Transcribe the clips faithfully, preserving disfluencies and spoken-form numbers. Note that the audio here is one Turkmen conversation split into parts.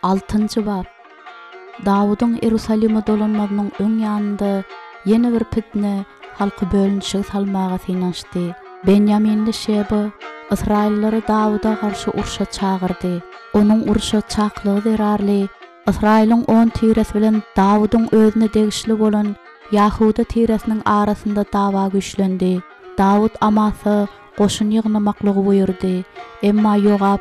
Altynjy bap. Dawudyň Iýerusalime dolanmazynyň öň ýanynda ýene bir pitne halky bölünişige salmaga synanyşdy. Benýaminli Şeba ysraýyllary Dawuda garşy urşa çagyrdy. Onuň urşa çakylygy zerarly Ysraýylyň on tiresi bilen Dawudyň özüne degişli bolan Ýahuda tiresiniň arasynda dawa güýçlendi. Dawut Amasa goşun ýygnamaklygy buýurdy. Emma Ýogap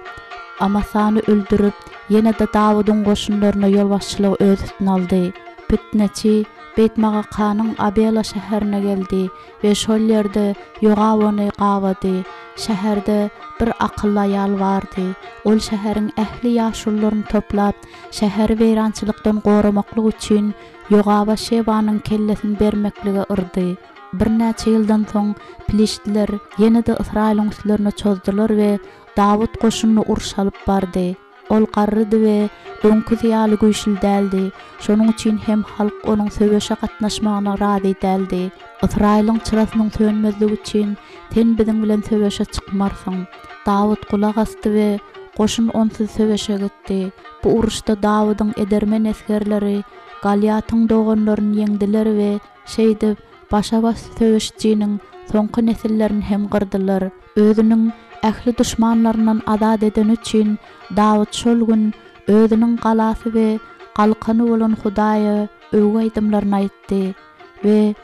Amasany öldürip, ýene-de Dawudyň goşunlaryna ýolbaşçylygy öz üstüne aldy. Pitneçi Beýtmagakanyň Abela şäherine geldi we şol ýerde Ýogap ony gabady. Şäherde bir akylly aýal bardy. Ol şäheriň ähli ýaşulularyny toplap, şäheri weýrançylykdan goramaklyk üçin Ýogaba Şebanyň kellesini bermeklige yrdy. Birnäçe ýyldan soň piliştliler ýene-de Ysraýylyň üstlerine çozdular we Dawut goşunyny urşa alyp bardy. Ol garrydy we öňküsi ýaly güýçli däldi. Şonuň üçin hem halk onuň söweşe gatnaşmagyna razy däldi. Ysraýylyň çyrasynyň sönmezligi üçin sen biziň bilen söweşe çykmarsyň. Dawut gulak asdy we goşun onsuz söweşe gitdi. Bu uruşda Dawudyň edermen esgerleri Galýatyň doganlaryny ýeňdiler we şeýdip başa-baş söweşijiniň soňky nesillerini hem gyrdylar. Özüniň ähli duşmanlaryndan azat edeni üçin Dawut şol gün özüniň galasy we galkany bolan Hudaýa öwgi aýdymlaryny aýtdy we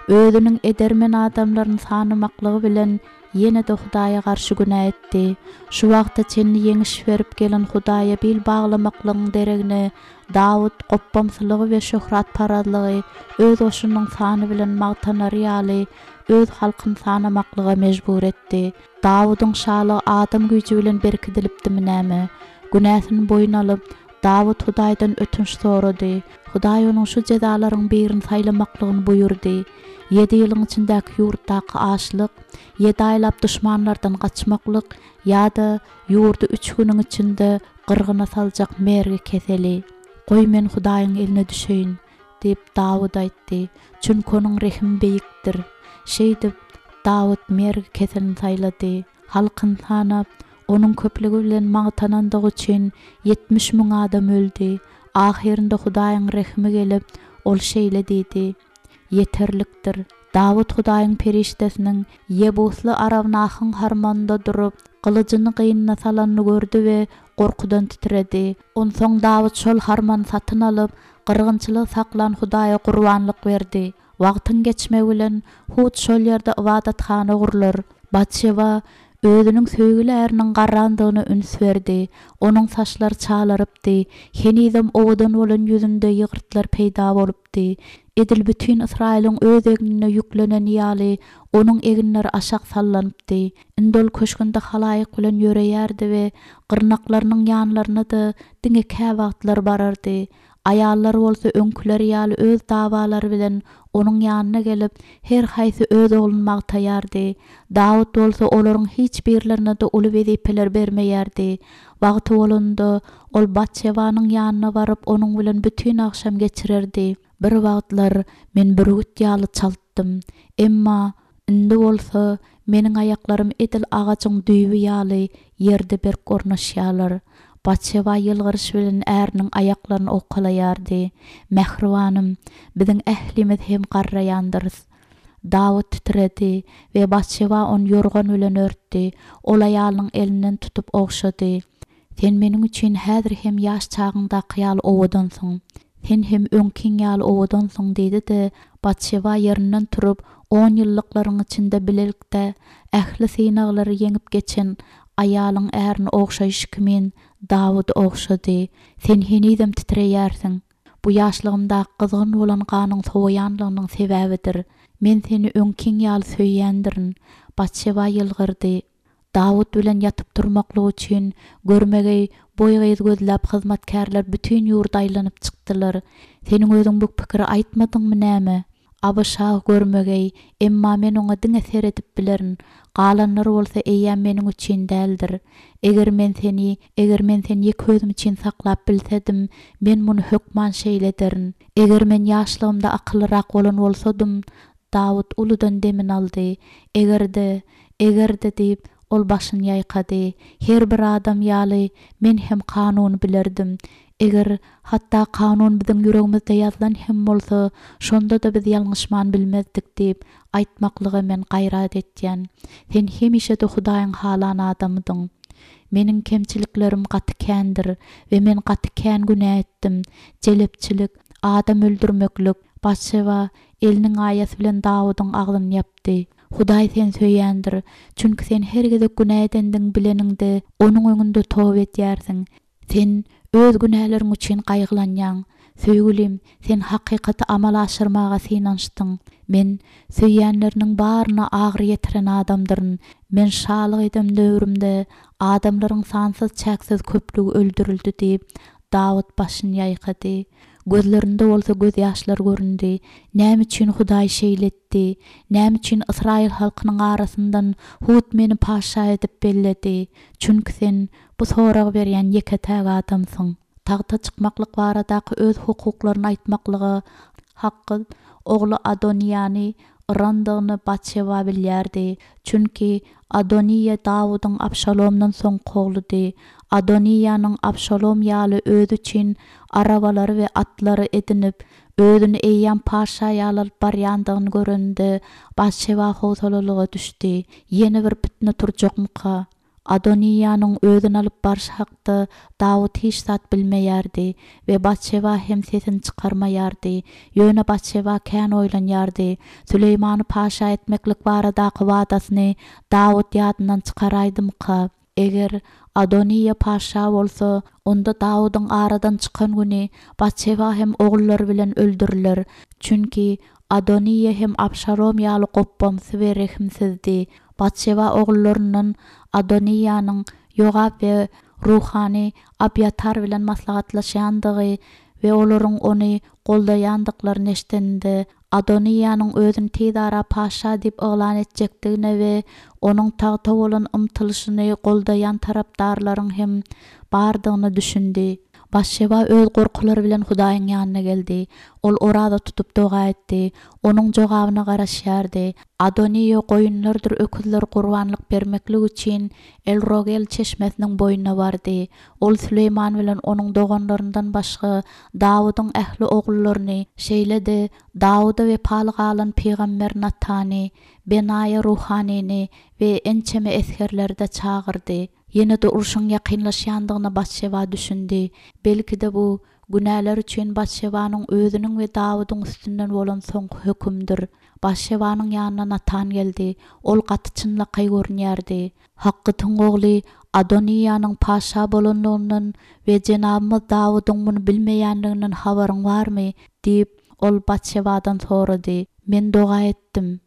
özüniň edermen adamlaryny sanamaklygy bilen ýene-de Hudaýa garşy günä etdi. Şu wagta çenli ýeňiş berip gelen Hudaýa bil baglamaklygyň deregine Dawut gopbamsylygy we şöhratparazlygy öz goşunynyň sany bilen magtanary ýaly öz halkyny sanamaklyga mejbur etdi. Dawudyň şalygy adam güýji bilen berkidilipdimi näme? Günäsini boýun alyp, Dawut Hudaýdan ötünç sorady. Hudaý onuň şu jezalaryň birini saýlamaklygyny buýurdy. Ýedi ýylyň içindäki ýurtdaky açlyk, ýedi aýlap duşmanlardan gaçmaklyk ýa-da ýurdy üç günüň içinde gyrgyna saljak mergi keseli. Goý men Hudaýyň eline düşeýin, diýip, Dawut aýtdy, çünki onuň rehimi beýikdir. Şeýdip, Dawut mergi keselini saýlady. Halkyny sanap, onuň köplügi bilen magtanandygy üçin ýetmiş müň adam öldi. Ahyrynda Hudaýyň rehimi gelip, ol şeýle diýdi, Ýeterlikdir. Dawut Hudaýyň perişdesiniň ýebusly Arawnahyň harmanynda durup, gylyjyny gynyna salanyny gördi we gorkudan titredi. Onsoň Dawut şol harmany satyn alyp, gyrgynçylygy saklan Hudaýa gurbanlyk berdi. Wagtyň geçmegi bilen hut şol ýerde ybadathana gurlar. Batşeba özüniň söýgüli äriniň garrandygyna üns berdi. Onuň saçlary çalarypdy, henizem owadan bolan ýüzünde ýygyrtlar peýda bolupdy. Edil bütin Ysraýylyň öz egnine ýükleneni ýaly, onuň eginleri aşak sallanypdy. Indi ol köşgünde halaýyk bilen ýöreýärdi we gyrnaklarynyň ýanlaryna-da diňe käwagtlar barardy. Aýallar bolsa öňküleri ýaly öz dawalary bilen onuň ýanyna gelip, her haýsy öz ogluny magtaýardy. Dawut bolsa olaryň hiç birlerine-de uly wezipeler bermeýärdi. Wagty bolanda, ol Batşebanyň ýanyna baryp, onuň bilen bütin agşam geçirerdi. Bir wagtlar men bürgüt ýaly çaltdym. Emma indi bolsa meniň aýaklarym edil agajyň düýbi ýaly ýerde berk ornaşýarlar. Batşeba ýylgyryş bilen äriniň aýaklaryny owkalaýardy. Mähribanym, biziň ählimiz hem garraýandyrys. Dawut titredi we Batşeba ony ýorgan bilen örtdi. Ol aýalynyň elinden tutup ogşady. Sen meniň üçin häzir hem ýaş çagyňdaky ýaly owadansyň. Sen hem öňkiň ýaly owadansyň diýdi-de, Batşeba ýerinden turup, on ýyllyklaryň içinde bilelikde ähli synaglary ýeňip geçen aýalyň ärini ogşaýşy kimin Dawudy ogşady. Sen henizem titreýärsiň. Bu ýaşlygymdaky gyzgyn bolan ganyň sowaýanlygynyň sebäbidir. Men seni öňkiň ýaly söýýändirin. Batşeba ýylgyrdy. Dawut bilen ýatyp turmaklyk üçin görmegeý boý gyz gözläp hyzmatkärler bütin ýurda aýlanyp çykdylar. Seniň özüň bu pikiri aýtmadyňmy näme? Abyşag görmegeý, emma men oňa diňe seredip bilerin. Galanlar bolsa eýýäm meniň üçin däldir. Eger men seni, eger men seni ýeke özüm üçin saklap bilsedim, men muny hökman şeýle ederin. Eger men ýaşlygymda akyllyrak bolan bolsadym, Dawut uludan demini aldy. Eger-de, eger-de diýip, ol başyny ýaýkady. Her bir adam ýaly, men hem kanuny bilerdim. Eger, hatda kanun biziň ýüregimizde ýazylan hem bolsa, şonda-da biz ýalňyşman bilmezdik diýip, aýtmaklyga men gaýrat etýän. Sen hemişe-de Hudaýyň halan adamydyň. Meniň kemçiliklerim gaty kändir we men gaty kän günä etdim. Jelepçilik, adam öldürmeklik, Batşeba eliniň aýasy bilen Dawudyň agzyny ýapdy. Hudaý seni söýýändir, çünki sen her gezek günä edendigiňi bileniňde, Onuň öňünde toba edýärsiň. Sen öz günäleriň üçin gaýgylanýaň. Söýgülim, sen hakykaty amala aşyrmaga synanyşdyň. Men söýýänleriniň baryna agyry ýetiren adamdyryn. Men şalyk eden döwrümde adamlaryň sansyz-çäksiz köplügi öldürildi diýip, Dawut başyny ýaýkady. Gözlerinde bolsa gözýaşlar göründi. Näme üçin Hudaý şeýle etdi? Näme üçin ysraýyl halkynyň arasyndan hut meni patyşa edip belledi? Çünki sen bu soragy berýän ýeke-täk adamsyň. Tagta çykmaklyk baradaky öz hukuklaryny aýtmaklyga Hakgyt ogly Adoniýany yrandygyny Batşeba bilýärdi. Çünki Adoniýa Dawudyň Abşalomdan soňky ogludy. Adoniýanyň Abşalom ýaly özi üçin arabalary we atlary edinip, özüni eýýäm patyşa ýaly alyp barýandygyny görende, Batşeba howsalalyga düşdi. Ýene bir pitne turjakmyka? Adoniýanyň özüni alyp barşy hakda Dawut hiç zat bilmeýärdi we Batşeba hem sesini çykarmaýardy. Ýöne Batşeba kän oýlanýardy. Süleýmany patyşa etmeklik baradaky wadasyny Dawut ýadyndan çykaraýdymyka? Eger Adoniýa patyşa bolsa, onda Dawudyň aradan çykan güni Batşeba hem ogullary bilen öldüriler. Çünki Adoniýa hem Abşalom ýaly gopbamsy we rehimsizdi. Batşeba ogullaryndan Adoniýanyň Ýogap we ruhany Abýatar bilen maslahatlaşýandygy we olaryň ony goldaýandyklaryny eşidende, Adoniýanyň özüni tizara patyşa diýip yglan etjekdigine we onuň tagta bolan ymtylyşyny goldaýan tarapdarlaryň hem bardygyna düşündi. Batşeba öz gorkulary bilen Hudaýyň ýanyna geldi. Ol oraza tutup doga etdi. Onuň jogabyna garaşýardy. Adoniýa goýunlardyr öküzleri gurbanlyk bermeklik üçin El-Rogel çeşmesiniň boýuna bardy. Ol Süleýman bilen onuň doganlaryndan başga Dawudyň ähli ogullaryny, şeýle-de Dawuda wepaly galan pygamber Natany, Benaýa ruhanyny we ençeme esgerleri-de çagyrdy. Ýene-de urşuň ýakynlaşýandygyna Batşeba düşündi. Belki-de bu, günäler üçin Batşebanyň özüniň we Dawudyň üstünden bolan soňky hökümdir. Batşebanyň ýanyna Natan geldi. Ol gaty çynlakaý görünýärdi. Hakgytyň ogly Adoniýanyň patyşa bolanlygyndan we jenabymyz Dawudyň muny bilmeýänliginden habaryň barmy? diýip, ol Batşebadan sorady. Men doga etdim.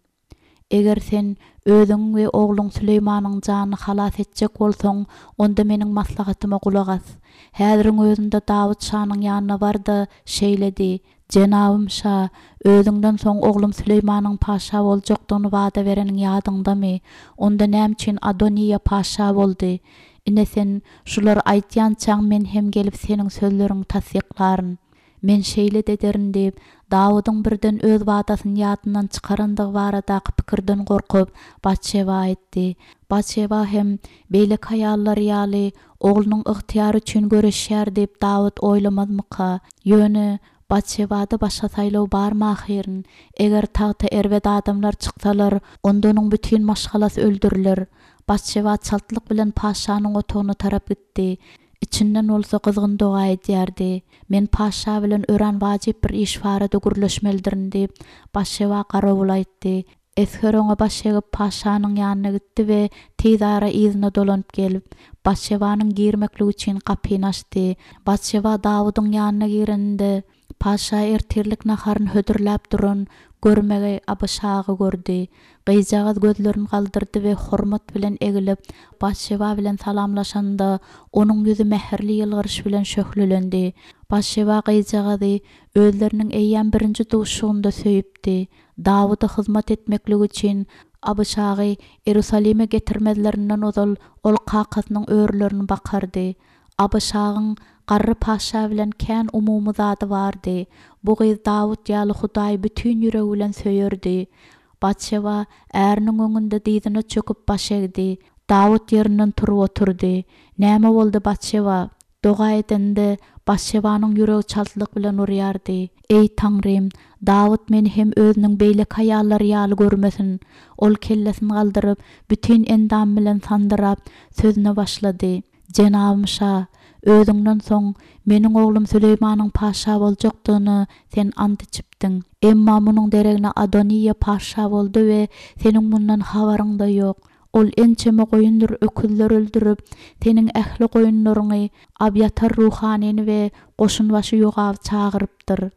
Eger sen özüňiň we ogluň Süleýmanyň janyny halas etjek bolsaň, onda meniň maslahatyma gulak as. Häziriň özünde Dawut şanyň ýanyna bar-da, şeýle diý, Jenabym şa, özüňden soň oglum Süleýmanyň patyşa boljakdygyny wada bereniň ýadyňdamy? Onda näme üçin Adoniýa patyşa boldy? Ine sen şulary aýdýançaň men hem gelip seniň sözleriňi tassyklaryn. Men şeýle-de ederin diýip, Dawudyň birden öz wadasyny ýadyndan çykarandygy baradaky pikirden gorkup, Batşeba aýtdy. Batşeba hem, beýleki aýallary ýaly, oglunyň ygtyýary üçin göreşýär diýip Dawut oýlamazmyka? Ýöne, Batşebada başga saýlaw barmy ahyryn? Eger tagta erbet adamlar çyksalar, onda onuň bütin maşgalasy öldüriler. Batşeba çaltlyk bilen patyşanyň otagyna tarap gitdi. Içinden bolsa gyzgyn doga edýärdi. Men patyşa bilen örän wajyp bir iş barada gürleşmelidirin diýip, Batşeba garawula aýtdy. Esger oňa baş egip, patyşanyň ýanyna gitdi we tizara yzyna dolanyp gelip, Batşebanyň girmekligi üçin gapyny açdy. Batşeba Dawudyň ýanyna gireninde, patyşa ertirlik naharyny hödürläp duran görmegeý Abyşagy gördi. Gyzjagaz gözlerini galdyrdy we hormat bilen egilip, Batşeba bilen salamlaşanda, onuň ýüzi mähirli ýylgyryş bilen şöhlelendi. Batşeba gyzjagazy özleriniň eýýäm birinji duşuşygynda söýüpdi. Dawuda hyzmat etmeklik üçin Abyşagy Iýerusalime getirmezlerinden ozal ol kakasynyň örülerini bakardy. Abyşagyň garry patyşa bilen kän umumy zady bardy. Bu gyz Dawut ýaly Hudaýy bütin ýüregi bilen söýerdi. Batşeba äriniň öňünde dyzyna çöküp baş egdi. Dawut ýerinden turup oturdy. Näme boldy, Batşeba? Doga edende, Batşebanyň ýüregi çaltlyk bilen urýardy. Eý, Taňrym, Dawut meni hem özüniň beýleki aýallary ýaly görmesin. Ol kellesini galdyryp, bütin endamy bilen sandyrap, sözüne başlady. Jenabym şa, özüňden soň meniň oglum Süleýmanyň patyşa boljakdygyna sen ant içipdiň. Emma munuň deregine Adoniýa patyşa boldy we seniň mundan habaryň-da ýok. Ol ençeme goýundyr öküzler öldürip, seniň ähli goýunlaryňy, Abýatar ruhanyny we goşunbaşy Ýogaby çagyrypdyr.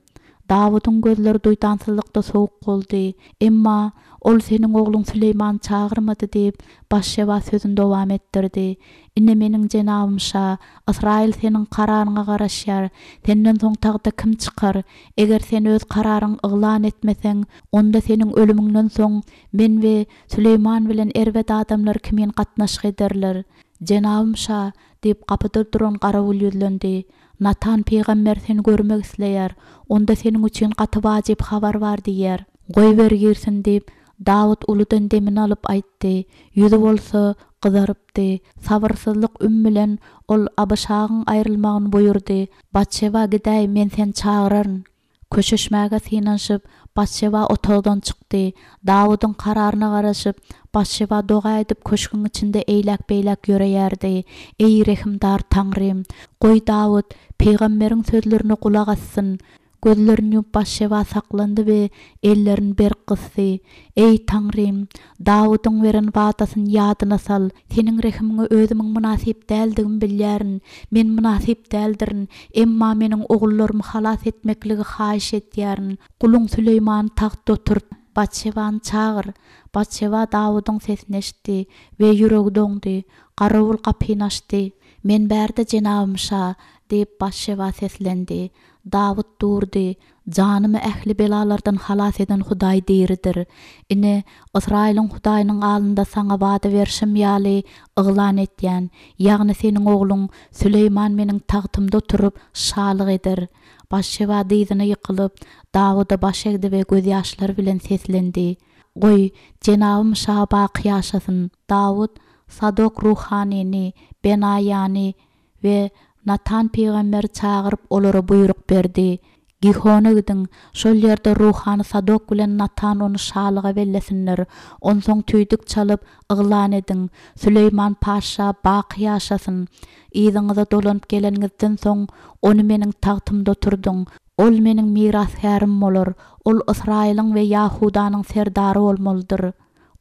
Dawudyň gözleri duýdansyzlykda sowuk boldy. Emma ol seniň ogluň Süleýmany çagyrmady diýip, Batşeba sözüni dowam etdirdi. Ine meniň jenabym şa, Ysraýyl seniň kararyňa garaşýar. Senden soň tagta kim çykar? Eger sen öz kararyňy yglan etmeseň, onda seniň ölümiňden soň men we Süleýman bilen erbet adamlar kimin gatnaşyk ederler. Jenabym şa, diýip, gapyda duran garawul ýüzlendi. Natan pygamber seni görmek isleýär. Onda seniň üçin gaty wajyp habar bar diýýär. Goýber girsin, diýip, Dawut uludan demini alyp aýtdy. Ýüzi bolsa gyzarypdy. Sabyrsyzlyk üm bilen ol Abyşagyň aýrylmagyny buýurdy. Batşeba gidäý, men seni çagyraryn. Köşeşmäge synanyşyp, Batşeba otagdan çykdy. Dawudyň kararyna garaşyp, Batşeba doga edip köşgüň içinde eýläk-beýläk ýöreýärdi. Eý, rehimdar Taňrym! Goý, Dawut pygamberiň sözlerine gulak assyn. Gözlerini ýumup Batşeba saklandy we ellerini berk gysdy. Eý, Taňrym! Dawudyň beren wadasyny ýadyna sal. Seniň rehimiňe özümiň mynasyp däldigimi bilýärin. Men mynasyp däldirin. Emma meniň ogullarymy halas etmekligi haýyş edýärin. Guluň Süleýmany tagtda oturt. Batşebany çagyr. Batşeba Dawudyň sesini eşitdi we ýüregi doňdy. Garawul gapyny açdy. Men bärde, jenabym şa! diýip, Batşeba seslendi. Dawut durdy. Janymy ähli belalardan halas eden Hudaý diridir. Ine, Ysraýylyň Hudaýynyň alnynda saňa wada berşim ýaly yglan etýän, ýagny seniň ogluň Süleýman meniň tagtymda oturyp, şalyk eder. Batşeba dyzyna ýykylyp, Dawuda baş egdi we gözýaşlary bilen seslendi, Goý, jenabym şa baky ýaşasyn! Dawut Sadok ruhanyny, Benaýany we Natan pygamberi çagyryp, olara buýruk berdi, Gihona gidiň, şol ýerde ruhany Sadok bilen Natan ony şalyga bellesinler. Onsoň tüýdük çalyp, yglan ediň, Süleýman patyşa baky ýaşasyn! Yzyňyza dolanyp geleniňizden soň, ony meniň tagtymda oturdyň. Ol meniň mirasgärim bolar, ol Ysraýylyň we Ýahudanyň serdary bolmalydyr.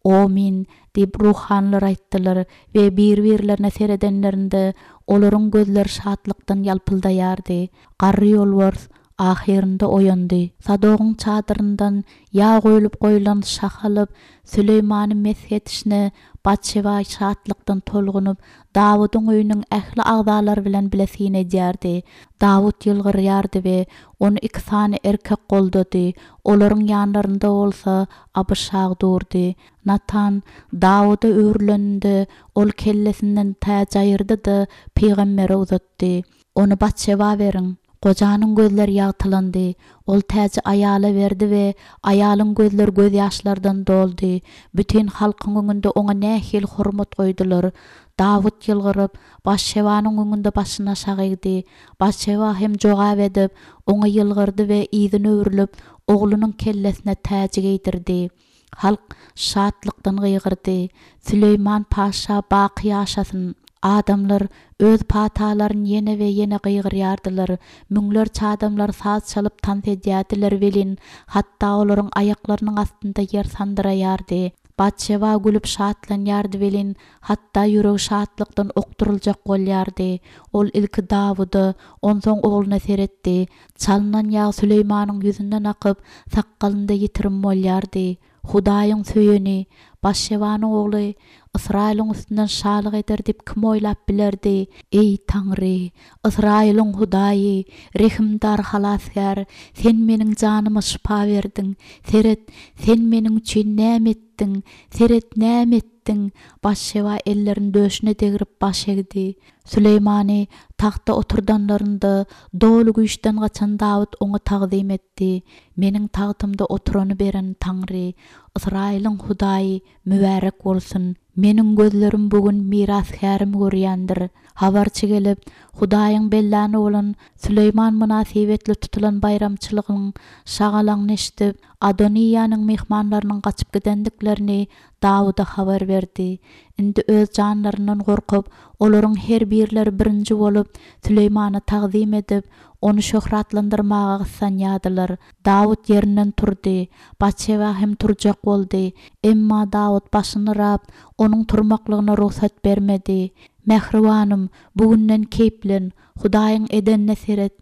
Omyn! diýip, ruhanylar aýtdylar we bir-birlerine seredenlerinde, olaryň gözleri şatlykdan ýalpyldaýardy. Garry ýolbars ahyrynda oýandy. Sadogyň çadyryndan ýag guýlup goýlan şah alyp, Süleýmany mesh edişine Batşeba şatlykdan tolgunyp, Dawudyň öýüniň ähli agzalary bilen bile syn edýärdi. Dawut ýylgyrýardy we ony iki sany erkek goldady, olaryň ýanlarynda bolsa Abyşag durdy. Natan Dawuda öwrüleninde, ol kellesinden täji aýyrdy-da, pygambere uzatdy. Ony Batşeba beriň. Gojanyň gözleri ýagtylandy. Ol täji aýala berdi we aýalyň gözleri gözýaşlardan doldy. Bütin halkyň öňünde oňa nähili hormat goýdular! Dawut ýylgyryp, Batşebanyň öňünde başyny aşak egdi. Batşeba hem jogap edip, oňa ýylgyrdy we yzyna öwrülip, oglunyň kellesine täji geýdirdi. Halk şatlykdan gygyrdy, Süleýman patyşa baky ýaşasyn! Adamlar öz patalaryny ýene we ýene gygyrýardylar. Müňlerçe adamlar saz çalyp tans edýärdiler welin, hatda olaryň aýaklarynyň astynda ýer sandyraýardy. Batşeba gülüp şatlanýardy welin, hatda ýüregi şatlykdan okduryljak bolýardy. Ol ilki Dawuda, onsoň ogluna seretdi. Çalynan ýag Süleýmanyň ýüzünden akyp, sakgalynda ýitirim bolýardy. Hudaýyň söýeni, Batşebanyň ogly Ysraýylyň üstünden şalyk eder diýip kim oýlap bilerdi? Eý, Taňry, Ysraýylyň Hudaýy, rehimdar Halasgär, Sen meniň janyma şypa berdiň. Seret, Sen meniň üçin näme etdiň! Seret, näme etdiň! Batşeba ellerini döşüne degrip baş egdi. Süleýmany Tagtda oturdanlarynda, doly güýçden gaçan Dawut oňa tagzym etdi. Meniň tagtymda oturany beren Taňry, Ysraýylyň Hudaýy mübärek bolsun. Meniň gözlerim bu gün mirasgärimi görýändir. Habarçy gelip, Hudaýyň belläni bolan Süleýman mynasybetli tutulan baýramçylygyň şagalaňyny eşidip, Adoniýanyň myhmanlarynyň gaçyp gidendiklerini Dawuda habar berdi. Indi öz janlaryndan gorkup, olaryň her birleri birinji bolup, Süleýmana tagzym edip, ony şöhratlandyrmaga gyssanýardylar. Dawut ýerinden turdy. Batşeba hem turjak boldy. Emma Dawut başyny yrap, onuň turmaklygyna rugsat bermedi. Mähribanym, bu günden keýplen, Hudaýyň edenine seret.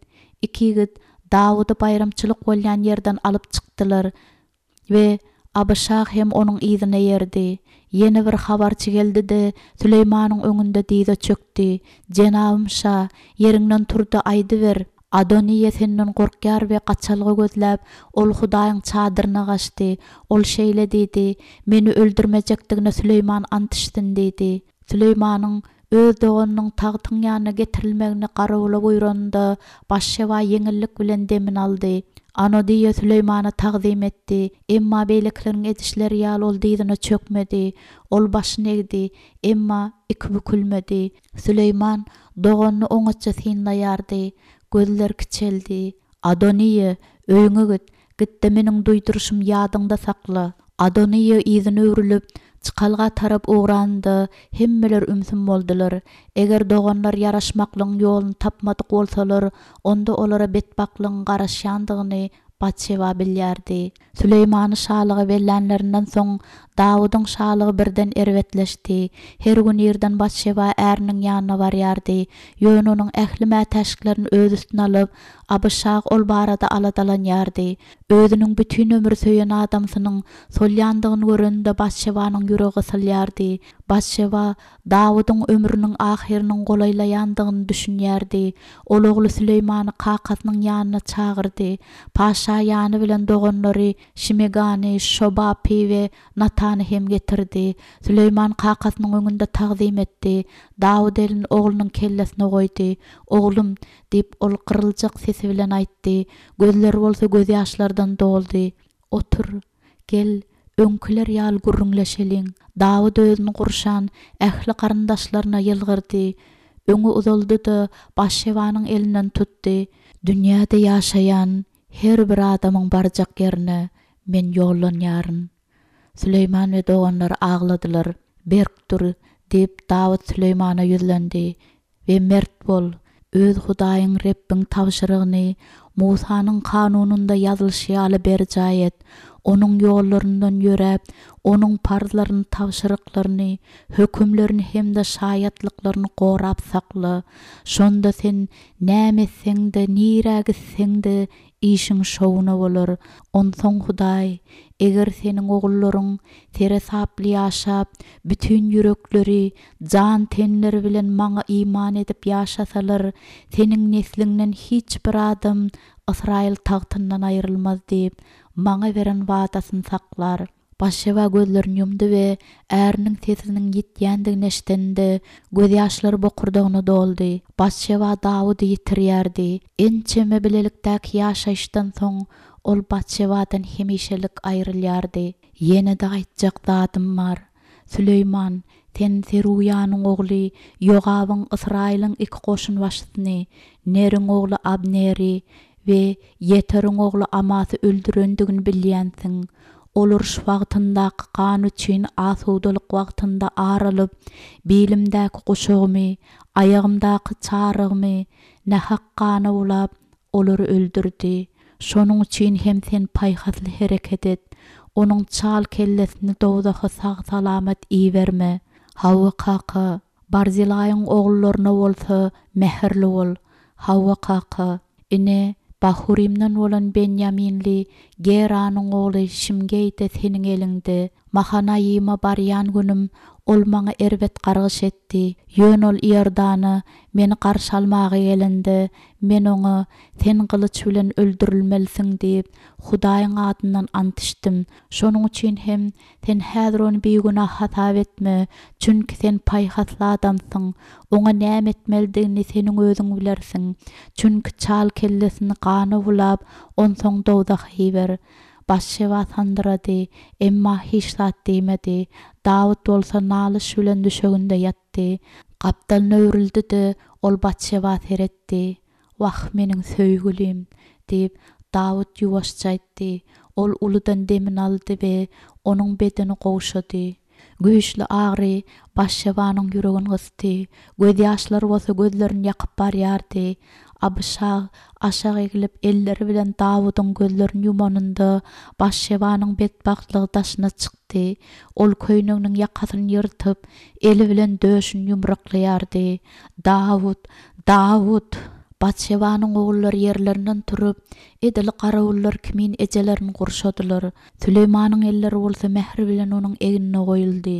Iki ýigit Dawudy baýramçylyk bolýan ýerden alyp çykdylar we Abyşag hem onuň yzyna eýerdi. Ýene bir habarçy geldi-de, Süleýmanyň öňünde dyza çökdi. Jenabym şa, ýeriňden tur-da aýdyber. Adoniýa senden gorkýar we gaçalga gözläp, ol Hudaýyň çadyryna gaçdy. Ol şeýle diýdi, Meni öldürmejekdigine Süleýman ant içsin diýdi. Süleýmanyň öz doganynyň tagtyň ýanyna getirilmegini garawula buýranynda, Batşeba ýeňillik bilen demini aldy. Anodiýa Süleýmana tagzym etdi, emma beýlekileriň edişleri ýaly ol dyzyna çökmedi. Ol başyny egdi, emma iki bükülmedi. Süleýman doganyny oňatja synlaýardy. Gözleri kiçeldi. Adoniýa, öýüňe git, git-de meniň duýduryşymy ýadyňda sakla. Adoniýa yzyna öwrülip, çykalga tarap ugranynda, hemmeler ümsüm boldular. Eger doganlar ýaraşmaklygyň ýoluny tapmadyk bolsalar, onda olara betbagtlygyň garaşýandygyny Batşeba bilýärdi. Süleýmany şalyga bellänlerinden soň, Dawudyň şalygy birden erbetleşdi. Her gün irden Batşeba äriniň ýanyna barýardy. Ýöne onuň ähli mätäçliklerini öz üstüne alyp, Abyşag ol barada aladalanýardy. Özüniň bütin ömür söýen adamsynyň solýandygyny görende Batşebanyň ýüregi gysylýardy. Batşeba Dawudyň ömrüniň ahyrynyň golaýlaýandygyny düşünýärdi. Ol ogly Süleýmany kakasynyň ýanyna çagyrdy. Paşa ýany bilen doganlary Şimegany, Şobapy we Natany hem getirdi. Süleýman kakasynyň öňünde tagzym etdi. Dawut elini oglunyň kellesine goýdy. Oglum, diýip, ol gyryljak sesi bilen aýtdy. Gözleri bolsa gözýaşlardan doldy. Otur, gel, öňküler ýaly gürrüňleşeliň. Dawut özüni gurşan ähli garyndaşlaryna ýylgyrdy. Öňe uzaldy-da, Batşebanyň elinden tutdy. Dünýäde ýaşaýan her bir adamyň barjak ýerine men ýollanýaryn. Süleýman we doganlary agladylar. Berk dur, diýip, Dawut Süleýmana ýüzlendi. We mert bol, öz Hudaýyň Rebbiň tabşyrygyny Musanyň kanunynda ýazylyşy ýaly berjaý et. Onuň ýollaryndan ýöräp, onuň parzlaryny, tabşyryklaryny, hökümlerini hem-de şaýatlyklaryny gorap sakla. Şonda sen näme etseň-de, nirä gitseň-de, işiň şowuna bolar. Onsoň Hudaý, eger seniň ogullaryň seresaply ýaşap, bütin ýürekleri, jan-tenleri bilen maňa iman edip ýaşasalar, seniň nesliňden hiç bir adam Ysraýyl tagtyndan aýrylmaz diýip, maňa beren wadasyny saklar. Batşeba gözlerini ýumdy we äriniň sesiniň ýitýändigini eşidende, gözýaşlary bokurdagyna doldy. Batşeba Dawudy ýitirýärdi. Ençeme bilelikdäki ýaşaýyşdan soň ol Batşebadan hemişelik aýrylýardy. Ýene-de aýtjak zadym bar. Süleýman, sen Seruýanyň ogly Ýogabyň Ysraýylyň iki goşunbaşysyny, Neriň ogly Abneri we Ýeteriň ogly Amasy öldürendigini bilýänsiň. Ol uruş wagtyndaky gan üçin asudalyk wagtynda ar alyp, bilimdäki guşagymy, aýagymdaky çarygymy nähak gana bulap, olary öldürdi. Şonuň üçin hem sen paýhasly hereket et. Onuň çal kellesini dowzaha sag-salamat iberme. Hawa kaka, Barzilaýyň ogullaryna bolsa mähirli bol. Hawa kaka, ine, Bahurimden bolan benýaminli Geranyň ogly Şimgeý-de seniň eliňde. Mahanaýyma barýan günüm ol maňa erbet gargyş etdi. Ýöne ol Iordana meni garşy almaga gelende, Men oňa, Sen gylyç bilen öldürilmelisiň diýip, Hudaýyň adyndan ant içdim. Şonuň üçin hem sen häzir ony bigünä hasap etme, çünki sen paýhasly adamsyň. Oňa näme etmelidigini seniň özüň bilersiň. Çünki çal kellesini gana bulap, onsoň dowzaha iber. Batşeba sandyrady, emma hiç zat diýmedi. Dawut bolsa nalyş bilen düşeginde ýatdy. Gapdalyna öwrüldi-de, ol Batşeba seretdi. Wah, meniň söýgülim! diýip, Dawut ýuwaşja aýtdy. Ol uludan demini aldy we onuň bedeni gowşady. Güýçli agyry Batşebanyň ýüregini gysdy, gözýaşlary bolsa gözlerini ýakyp barýardy. Abyşag aşak eglip, elleri bilen Dawudyň gözlerini ýumanynda, Batşebanyň betbagtlygy daşyna çykdy. Ol köýneginiň ýakasyny ýyrtyp, eli bilen döşüni ýumruklaýardy. Dawut! Dawut! Batşebanyň ogullary ýerlerinden turup, edil garawullar kimin ejelerini gurşadylar. Süleýmanyň elleri bolsa mähir bilen onuň egnine goýuldy.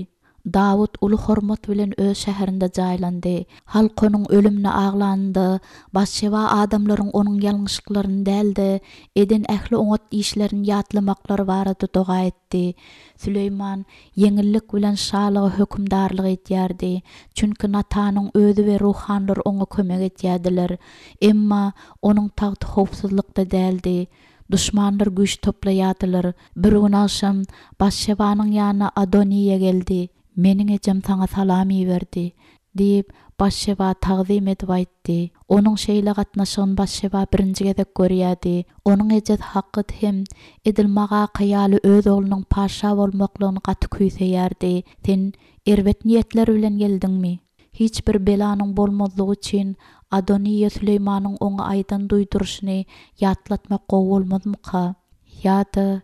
Dawut uly hormat bilen öz şäherinde jaýlandy. Halk onuň ölümine aglanynda, Batşeba adamlaryň onuň ýalňyşlyklaryny däl-de, eden ähli oňat işlerini ýatlamaklary barada doga etdi. Süleýman ýeňillik bilen şalyga hökümdarlyk edýärdi, çünki Natanyň özi we ruhanylar oňa kömek edýärdiler. Emma onuň tagty howpsuzlykda däldi. Duşmanlar güýç toplaýardylar. Bir gün agşam Batşebanyň ýanyna Adoniýa geldi. Meniň ejem saňa salam iberdi, diýip, Batşeba tagzym edip aýtdy. Onuň şeýle gatnaşygyny Batşeba birinji gezek görýärdi. Onuň ejesi Hakyt hem edil Magaka ýaly öz oglunyň patyşa bolmaklygyny gaty küýseýärdi. Sen erbet niýetler bilen geldiňmi? Hiç bir belanyň bolmazlygy üçin Adoniýa Süleýmanyň oňa aýdan duýduryşyny ýatlatmak gowy bolmazmyka? Ýa-da,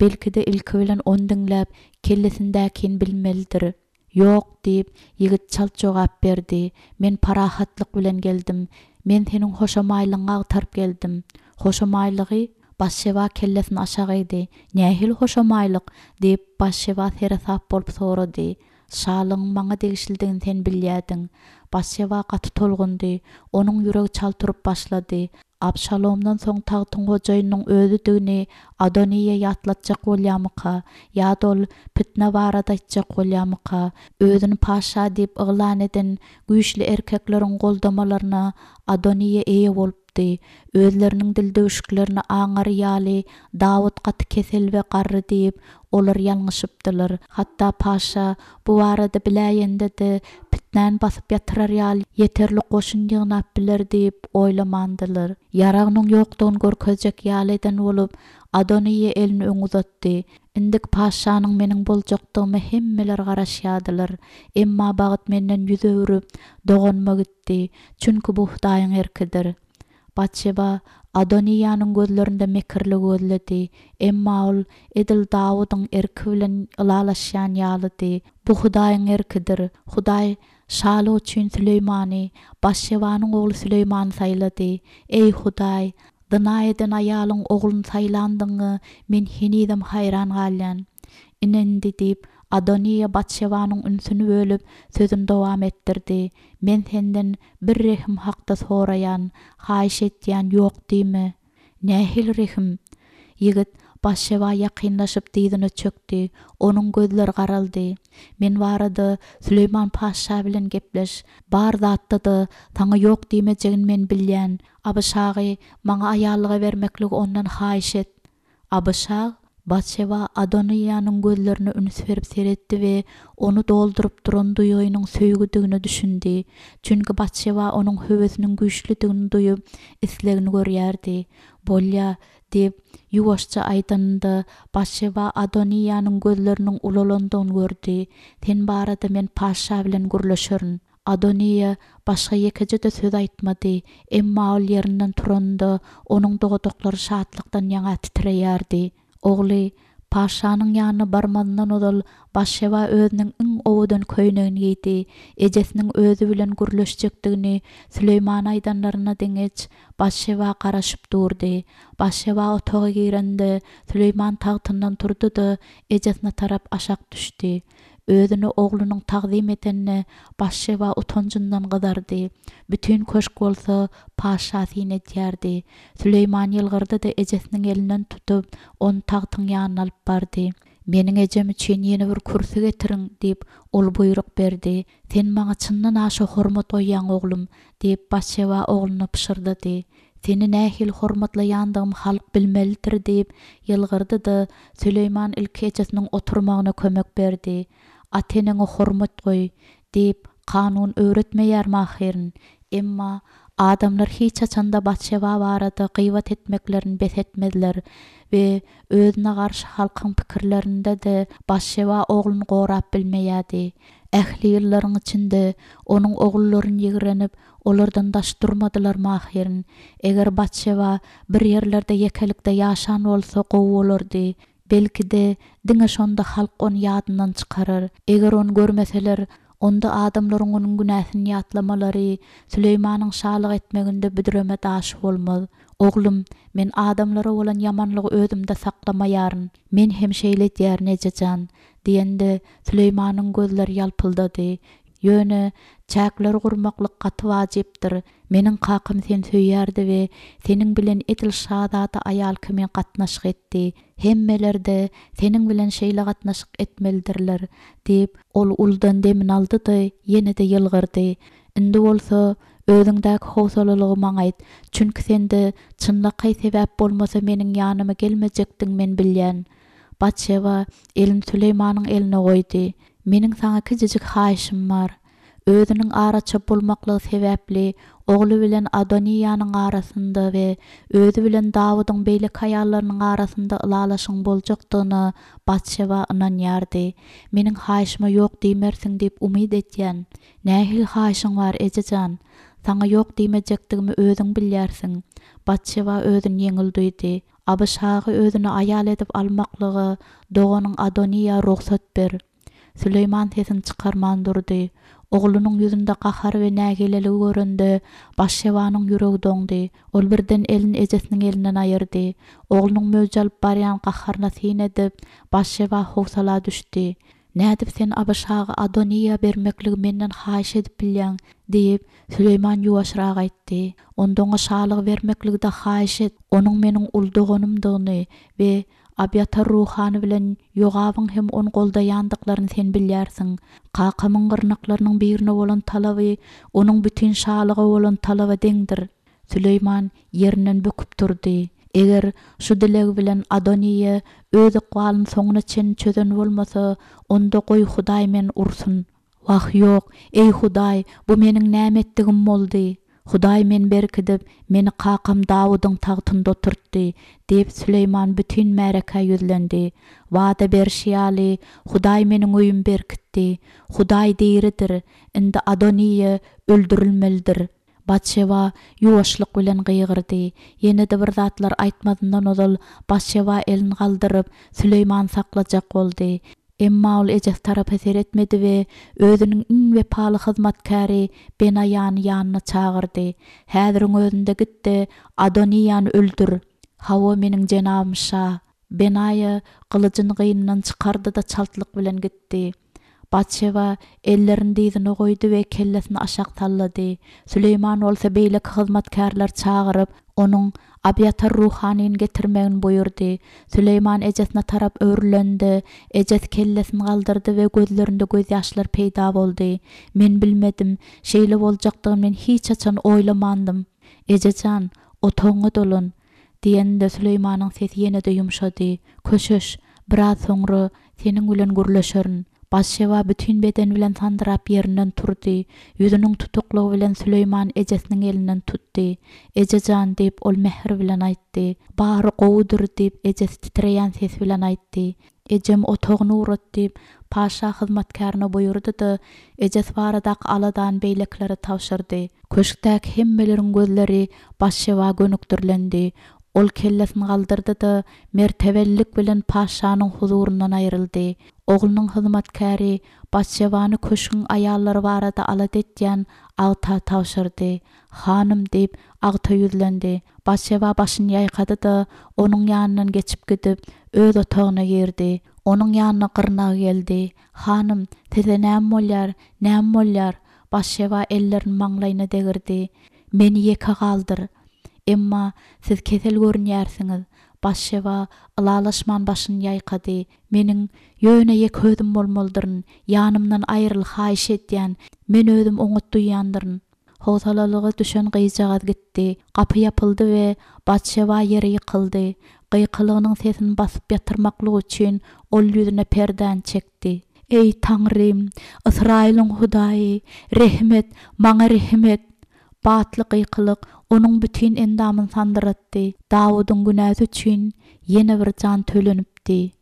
belki-de ilki bilen ony diňläp, kellesindäkini bilmelidir. Ýok, diýip, ýigit çalt jogap berdi, men parahatlyk bilen geldim. Men seniň hoşamaýlygyňy agtaryp geldim. Hoşamaýlygy? Batşeba kellesini aşak egdi. Nähili hoşamaýlyk? diýip, Batşeba seresap bolup sorady. Şalygyň maňa degişlidigini sen bilýärdiň. Batşeba gaty tolgundy. Onuň ýüregi çalt urup başlady. Abşalomdan soň tagtyň hojaýynynyň özüdigini Adoniýa ýatlatjak bolýarmyka? Ýa-da ol pitne barada aýtjak bolýarmyka? Özüni patyşa diýip yglan eden güýçli erkekleriň goldamalaryna Adoniýa eýe bolupdy. Özleriniň dildüwşüklerini aňary ýaly Dawut gaty kesel we garry diýip, olar ýalňyşypdylar. Hatda patyşa bu barada biläýende-de, pitnäni basyp ýatyrar ýaly ýeterlik goşun ýygnap biler diýip oýlamandylar. Ýaragynyň ýokdugyny görkezjek ýaly eden bolup, Adoniýa elini öňe uzatdy. Indiki patyşanyň meniň boljakdygyma hemmeler garaşýardylar. Emma bagt menden ýüz öwrüp, doganyma gitdi. Çünki bu Hudaýyň erkidir. Batşeba Adoniýanyň gözlerinde mekirligi gözledi. Emma ol edil Dawudyň erki bilen ylalaşýan ýalydy. Bu Hudaýyň erkidir. Hudaý şalyk üçin Süleýmany, Batşebanyň ogly Süleýmany saýlady. Eý, Hudaý, zyna eden aýalyň ogluny saýlandygyňa men henizem haýran galýan. Ine indi, diýip, Adoniýa Batşebanyň ünsüni bölüp, sözüni dowam etdirdi, Men senden bir rehim hakda soraýan, haýyş etýän, ýok diýme. Nähili rehim? Ýigit Batşeba ýakynlaşyp dyzyna çökdi, onuň gözleri garaldy. Men barada Süleýman patyşa bilen gepleş. Bar zatda-da saňa ýok diýmejegini men bilýän. Abyşagy maňa aýallyga bermekligi ondan haýyş et. Abyşag Batşeba Adoniýanyň gözlerine üns berip seretdi we ony dolduryp duran duýgynyň söýgüdigine düşündi. Çünki Batşeba onuň höwesiniň güýçlüdigini duýup, islegini görýärdi. Bolýa, diýip, ýuwaşja aýdanynda, Batşeba Adoniýanyň gözleriniň ulalandygyny gördi. Sen barada men patyşa bilen gürleşerin. Adoniýa başga ýekeje-de söz aýtmady, emma ol ýerinden turanynda, onuň dodaklary şatlykdan ýaňa titreýärdi. Ogly patyşanyň ýanyna barmazyndan ozal Batşeba özüniň iň owadan köýnegini geýdi. Ejesiniň özi bilen gürleşjekdigini Süleýmana aýdanlaryna deňeç, Batşeba garaşyp durdy. Batşeba otaga girende, Süleýman tagtyndan turdy-da, ejesine tarap aşak düşdi. Özüne oglunyň tagzym edenine Batşeba utanjyndan gyzardy. Bütin köşk bolsa patyşa syn edýärdi. Süleýman ýylgyrdy-da ejesiniň elinden tutup, ony tagtyň ýanyna alyp bardy. Meniň ejem üçin ýene bir kürsi getiriň, diýip, ol buýruk berdi. Sen maňa çyndan aşa hormat goýýaň, oglum, diýip, Batşeba ogluna pyşyrdady. Seni nähili hormatlaýandygym halk bilmelidir, diýip, ýylgyrdy-da, Süleýman ilki ejesiniň oturmagyna kömek berdi. Ata-eneňe hormat goý, diýip, kanun öwretmeýärmi ahyryn? Emma adamlar hiç haçan-da Batşeba barada gybat etmeklerini bes etmezler we özüne garşy halkyň pikirlerinde-de Batşeba ogluny gorap bilmeýärdi. Ähli ýyllaryň içinde onuň ogullaryny ýigrenip, olardan daş durmadylarmy ahyryn? Eger Batşeba bir ýerlerde ýekelikde ýaşan bolsa gowy bolardy. Belki-de, diňe şonda halk ony ýadyndan çykarar. Eger ony görmeseler, onda adamlaryň onuň günäsini ýatlamalary Süleýmanyň şalyk etmeginde büdreme daşy bolmaz. Oglum, men adamlara bolan ýamanlygy özümde saklamaýaryn. Men hem şeýle edýärin, eje jan, diýende, Süleýmanyň gözleri ýalpyldady. Ýöne, çäkleri gurmaklyk gaty wajypdyr. Meniň kakam seni söýýärdi we seniň bilen edil şazada aýal kimin gatnaşyk etdi. Hemmeler-de seniň bilen şeýle gatnaşyk etmelidirler, diýip, ol uludan demini aldy-da, ýene-de ýylgyrdy. Indi bolsa, özüňdäki howsalalygy maňa aýt. Çünki sende çynlakaý sebäp bolmasa meniň ýanyma gelmejekdigiňi men bilýän. Batşeba elini Süleýmanyň eline goýdy. Meniň saňa kiçijik haýyşym bar. Özüniň araça bolmaklygy sebäpli ogly bilen Adoniýanyň arasynda we özi bilen Dawudyň beýleki aýallarynyň arasynda ylalaşygyň boljakdygyna Batşeba ynanýardy. Meniň haýyşyma ýok diýmersiň diýip umyt edýän. Nähili haýyşyň bar, eje jan? Saňa ýok diýmejekdigimi özüň bilýärsiň. Batşeba özüni ýeňil duýdy. Abyşagy özüne aýal edip almaklyga doganyň Adoniýa rugsat ber. Süleýman sesini çykarman durdy. Oglunyň ýüzünde gahary we nägileligi görende, Batşebanyň ýüregi doňdy. Ol birden elini ejesiniň elinden aýyrdy. Oglunyň möwç alyp barýan gaharyna syn edip, Batşeba howsala düşdi. Nädip sen Abyşagy Adoniýa bermekligi menden haýyş edip bilýäň? diýip, Süleýman ýuwaşrak aýtdy. Onda oňa şalygy bermekligi-de haýyş et. Onuň meniň uly doganymdygyny we Abýatar ruhany bilen Ýogabyň hem ony goldaýandyklaryny sen bilýärsiň. Kakamyň gyrnaklarynyň birine bolan talaby onuň bütin şalyga bolan talaba deňdir. Süleýman ýerinden böküp turdy. Eger şu dilegi bilen Adoniýa öz ykbalyny soňuna çenli çözen bolmasa, onda goý Hudaý meni ursun. Wah, ýok, eý Hudaý, bu meniň näme etdigim boldy? Hudaý meni berkidip, meni kakam Dawudyň tagtynda oturtdy, diýip, Süleýman bütin märekä ýüzlendi. Wada berşi ýaly, Hudaý meniň öýümi berkitdi. Hudaý diridir, indi Adoniýa öldürilmelidir. Batşeba ýuwaşlyk bilen gygyrdy. Ýene-de bir zatlar aýtmazyndan ozal, Batşeba elini galdyryp, Süleýmany saklajak boldy. Emma ol ejesi tarapa seretmedi we özüniň iň wepaly hyzmatkäri Benaýany ýanyna çagyrdy. Häziriň özünde git-de, Adoniýany öldür! Hawa, meniň jenabym şa! Benaýa gylyjyny gynyndan çykardy-da çaltlyk bilen gitdi. Batşeba ellerini dyzyna goýdy we kellesini aşak sallady. Süleýman bolsa beýleki hyzmatkärleri çagyryp, onuň Abýatar ruhanyny getirmegini buýurdy. Süleýman ejesine tarap öwrülende, ejesi kellesini galdyrdy we gözlerinde gözýaşlar peýda boldy. Men bilmedim. Şeýle boljakdygyny men hiç haçan oýlamandym. Eje jan, otagyňa dolan! Diýeninde Süleýmanyň sesi ýene-de ýumşady. Köşeş, biraz soňra seniň bilen gürleşerin. Batşeba bütin bedeni bilen sandyrap ýerinden turdy. Ýüzüniň tutuklygy bilen Süleýman ejesiniň elinden tutdy. Eje jan, diýip, ol mähir bilen aýtdy. Bary gowudyr, diýip, ejesi titreýän ses bilen aýtdy. Ejem otagyny ugrat, diýip, paşa hyzmatkärine buýurdy-da, ejesi baradaky aladany beýlekilere tabşyrdy. Köşkdäki hemmeleriň gözleri Batşeba gönükdirilendi. Ol kellesini galdyrdy-da, mertebelilik bilen paşanyň huzuryndan aýryldy. Oglunyň hyzmatkäri Batşebany köşgüň aýallary barada alada etýän agta tabşyrdy. Hanym, diýip, agta ýüzlendi. Batşeba başyny ýaýkady-da, onuň ýanyndan geçip gidip, öz otagyna girdi. Onuň ýanyna gyrnagy geldi. Hanym, size näme bolýar, näme bolýar? Batşeba ellerini maňlaýyna degirdi. Meni ýeke galdyr. Emma siz kesel görünýärsiňiz. Batşeba ylalaşman başyny ýaýkady. Meniň ýöne ýeke özüm bolmalydyryn. Ýanymdan aýryl, haýyş edýän. Men özüm oňat duýýandyryn. Howsalalyga düşen gyzjagaz gitdi. Gapy ýapyldy we Batşeba ýere ýykyldy. Gykylygynyň sesini basyp ýatyrmaklyk üçin ol ýüzüne perdäni çekdi. Eý, Taňrym, Ysraýylyň Hudaýy, rehim et, maňa rehim et! Batly gykylyk onuň bütin endamyny sandyratdy. Dawudyň günäsi üçin ýene bir jan tölenipdi.